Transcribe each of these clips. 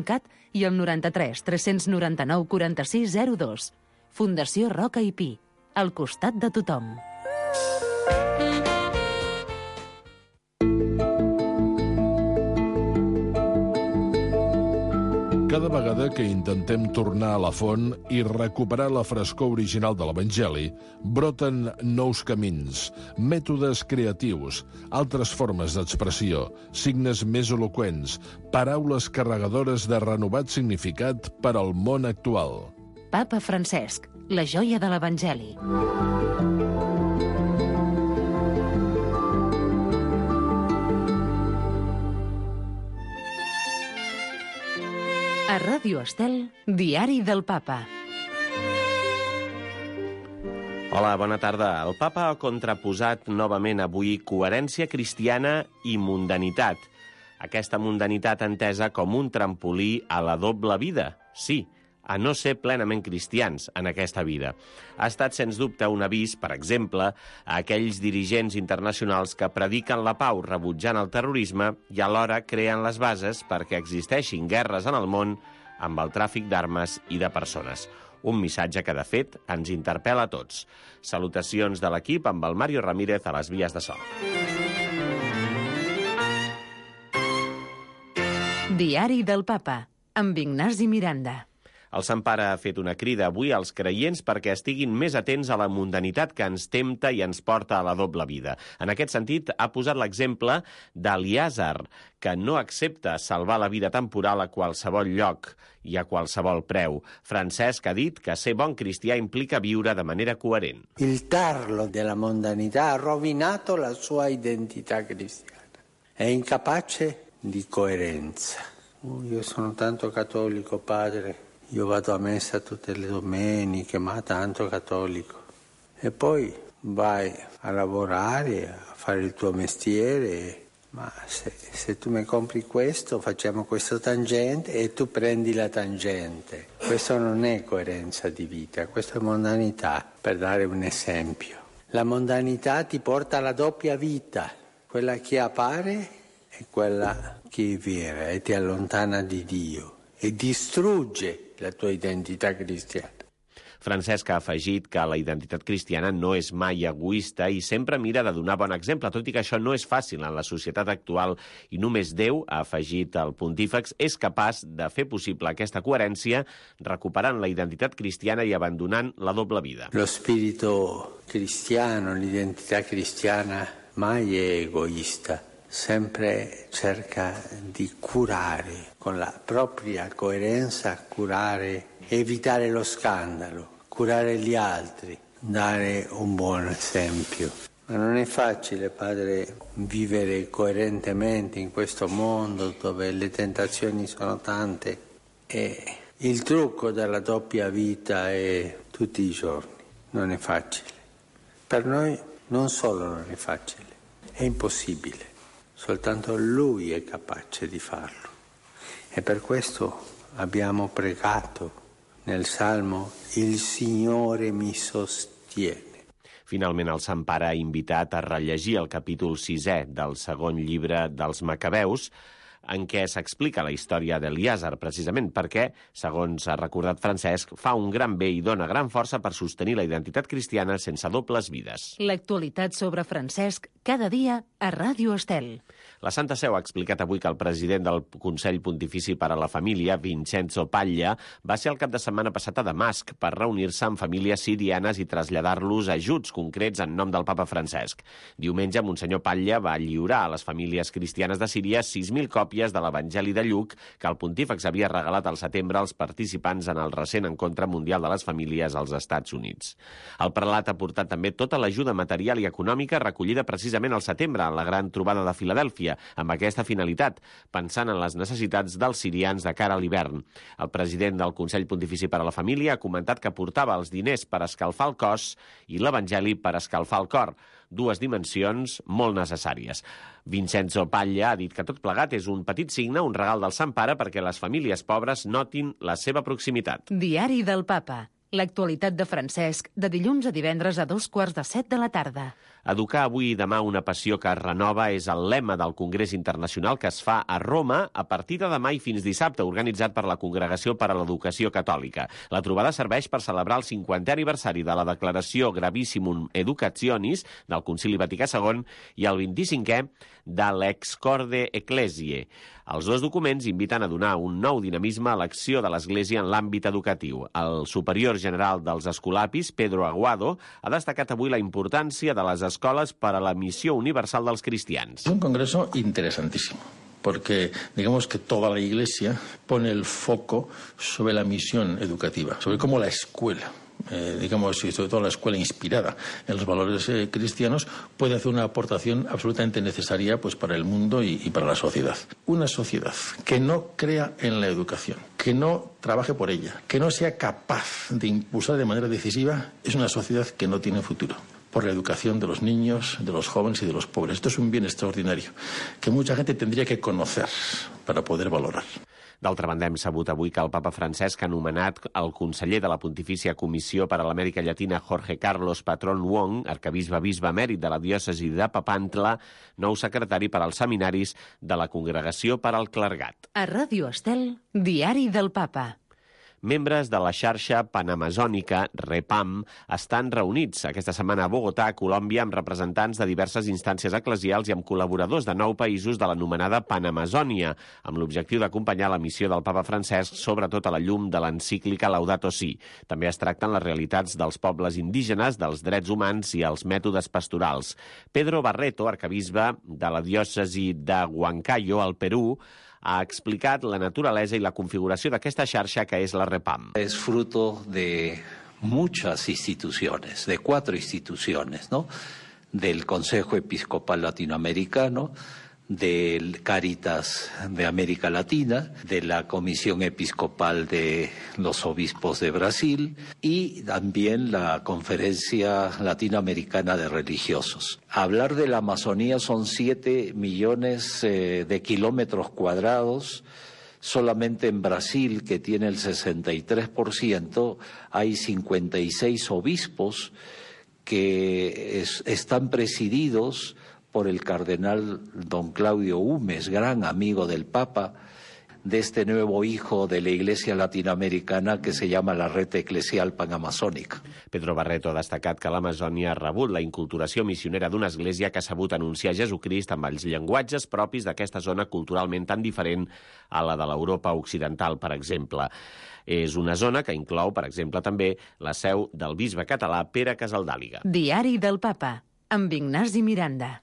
Cat i al 93 399 46 02. Fundació Roca i Pi, al costat de tothom. Cada vegada que intentem tornar a la font i recuperar la frescor original de l'Evangeli, broten nous camins, mètodes creatius, altres formes d'expressió, signes més eloqüents, paraules carregadores de renovat significat per al món actual. Papa Francesc, la joia de l'Evangeli. A Ràdio Estel, Diari del Papa. Hola, bona tarda. El Papa ha contraposat novament avui coherència cristiana i mundanitat. Aquesta mundanitat entesa com un trampolí a la doble vida. Sí, a no ser plenament cristians en aquesta vida. Ha estat, sens dubte, un avís, per exemple, a aquells dirigents internacionals que prediquen la pau rebutjant el terrorisme i alhora creen les bases perquè existeixin guerres en el món amb el tràfic d'armes i de persones. Un missatge que, de fet, ens interpel·la a tots. Salutacions de l'equip amb el Mario Ramírez a les vies de so. Diari del Papa, amb Ignasi Miranda. El Sant Pare ha fet una crida avui als creients perquè estiguin més atents a la mundanitat que ens tempta i ens porta a la doble vida. En aquest sentit, ha posat l'exemple d'Eliàsar, que no accepta salvar la vida temporal a qualsevol lloc i a qualsevol preu. Francesc ha dit que ser bon cristià implica viure de manera coherent. Il tarlo della mondanità ha rovinato la sua identità cristiana. È incapace di coerenza. Io sono tanto cattolico, padre. Io vado a messa tutte le domeniche, ma tanto cattolico. E poi vai a lavorare, a fare il tuo mestiere. Ma se tu mi compri questo, facciamo questo tangente e tu prendi la tangente. Questo non è coerenza di vita, questo è mondanità, per dare un esempio. La mondanità ti porta alla doppia vita, quella che appare e quella che è vera, e ti allontana di Dio e distrugge la tua identità cristiana. Francesc ha afegit que la identitat cristiana no és mai egoista i sempre mira de donar bon exemple, tot i que això no és fàcil en la societat actual i només Déu, ha afegit el pontífex, és capaç de fer possible aquesta coherència recuperant la identitat cristiana i abandonant la doble vida. Lo spirito cristiano, l'identità cristiana mai è egoista. Sempre cerca di curare, con la propria coerenza, curare, evitare lo scandalo, curare gli altri, dare un buon esempio. Ma non è facile, padre, vivere coerentemente in questo mondo dove le tentazioni sono tante e il trucco della doppia vita è tutti i giorni. Non è facile. Per noi non solo non è facile, è impossibile. Soltanto Lui è capace di farlo. E per questo abbiamo pregato nel Salmo «Il Signore mi sostiene». Finalment, el Sant Pare ha invitat a rellegir el capítol 6è del segon llibre dels Macabeus, en què s'explica la història d'Eliàsar, precisament perquè, segons ha recordat Francesc, fa un gran bé i dona gran força per sostenir la identitat cristiana sense dobles vides. L'actualitat sobre Francesc, cada dia a Ràdio Estel. La Santa Seu ha explicat avui que el president del Consell Pontifici per a la Família, Vincenzo Paglia, va ser el cap de setmana passat a Damasc per reunir-se amb famílies sirianes i traslladar-los ajuts concrets en nom del papa Francesc. Diumenge, Monsenyor Paglia va lliurar a les famílies cristianes de Síria 6.000 còpies de l'Evangeli de Lluc que el pontífex havia regalat al setembre als participants en el recent encontre mundial de les famílies als Estats Units. El prelat ha portat també tota l'ajuda material i econòmica recollida precisament al setembre en la gran trobada de Filadèlfia, amb aquesta finalitat, pensant en les necessitats dels sirians de cara a l'hivern. El president del Consell Pontifici per a la Família ha comentat que portava els diners per escalfar el cos i l'Evangeli per escalfar el cor, dues dimensions molt necessàries. Vincenzo Paglia ha dit que tot plegat és un petit signe, un regal del Sant Pare perquè les famílies pobres notin la seva proximitat. Diari del Papa. L'actualitat de Francesc, de dilluns a divendres a 2:45 de la tarda. Educar avui i demà una passió que es renova és el lema del Congrés Internacional que es fa a Roma a partir de demà i fins dissabte, organitzat per la Congregació per a l'Educació Catòlica. La trobada serveix per celebrar el 50è aniversari de la Declaració Gravissimum Educationis del Concili Vaticà II i el 25è de l'Ex Corde Ecclesiae. Els dos documents inviten a donar un nou dinamisme a l'acció de l'Església en l'àmbit educatiu. El superior general dels Escolapis, Pedro Aguado, ha destacat avui la importància de les escoles per a la missió universal dels cristians. Es un congreso interesantísimo, porque digamos que toda la Iglesia pone el foco sobre la misión educativa, sobre cómo la escuela, digamos, y sobre todo la escuela inspirada en los valores cristianos, puede hacer una aportación absolutamente necesaria pues, para el mundo y para la sociedad. Una sociedad que no crea en la educación, que no trabaje por ella, que no sea capaz de impulsar de manera decisiva, es una sociedad que no tiene futuro. Por la educación de los niños, de los jóvenes y de los pobres. Esto es un bien extraordinario que mucha gente tendría que conocer para poder valorar. D'altra banda, hem sabut avui que el papa Francesc ha nomenat el conseller de la Pontifícia Comissió per a l'Amèrica Llatina, Jorge Carlos Patrón Wong, arquebisbe emèrit de la diòcesi de Papantla, nou secretari per als seminaris de la Congregació per al Clergat. A Ràdio Estel, Diari del Papa. Membres de la xarxa panamazònica REPAM estan reunits aquesta setmana a Bogotà, Colòmbia, amb representants de diverses instàncies eclesials i amb col·laboradors de 9 països de l'anomenada Panamazònia, amb l'objectiu d'acompanyar la missió del papa Francesc, sobretot a la llum de l'encíclica Laudato Si. També es tracten les realitats dels pobles indígenes, dels drets humans i els mètodes pastorals. Pedro Barreto, arquebisbe de la diòcesi de Huancayo, al Perú, ha explicat la naturalesa i la configuració d'aquesta xarxa que és la REPAM. Es fruto de muchas instituciones, de 4 instituciones, ¿no? Del Consejo Episcopal Latinoamericano, del Cáritas de América Latina, de la Comisión Episcopal de los Obispos de Brasil y también la Conferencia Latinoamericana de Religiosos. Hablar de la Amazonía son 7 millones de kilómetros cuadrados. Solamente en Brasil, que tiene el 63%, hay 56 obispos que están presididos por el cardenal don Claudio Humes, gran amigo del Papa, de este nuevo hijo de la Iglesia latinoamericana que se llama la Red Eclesial Panamazònica. Pedro Barreto ha destacat que l'Amazònia ha rebut la inculturació missionera d'una església que ha sabut anunciar Jesucrist amb els llenguatges propis d'aquesta zona culturalment tan diferent a la de l'Europa occidental, per exemple. És una zona que inclou, per exemple, també la seu del bisbe català Pere Casaldàliga. Diari del Papa, amb Ignasi Miranda.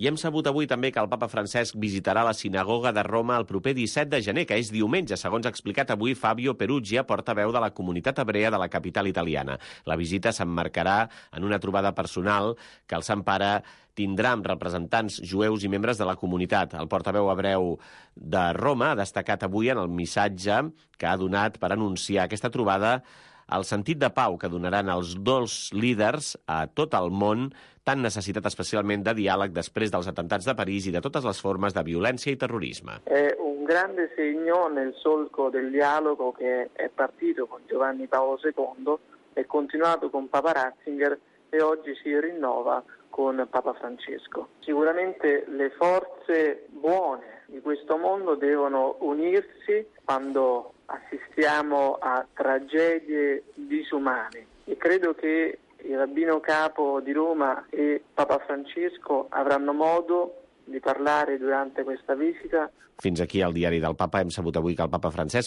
I hem sabut avui també que el papa Francesc visitarà la sinagoga de Roma el proper 17 de gener, que és diumenge, segons ha explicat avui Fabio Perugia, portaveu de la comunitat hebrea de la capital italiana. La visita s'emmarcarà en una trobada personal que el Sant Pare tindrà amb representants jueus i membres de la comunitat. El portaveu hebreu de Roma ha destacat avui en el missatge que ha donat per anunciar aquesta trobada el sentit de pau que donaran els dos líders a tot el món, tan necessitat especialment de diàleg després dels atemptats de París i de totes les formes de violència i terrorisme. È un grande segno nel solco del dialogo che è partito con Giovanni Paolo II, è continuato con Papa Ratzinger e oggi si rinnova con Papa Francesco. Sicuramente le forze buone di questo mondo devono unirsi quando assistiamo a tragedie disumane e credo che il rabbino capo di Roma e Papa Francesco avranno modo di parlare durante questa visita. Fins aquí el diari del Papa. Hem sabut avui que el papa Francesc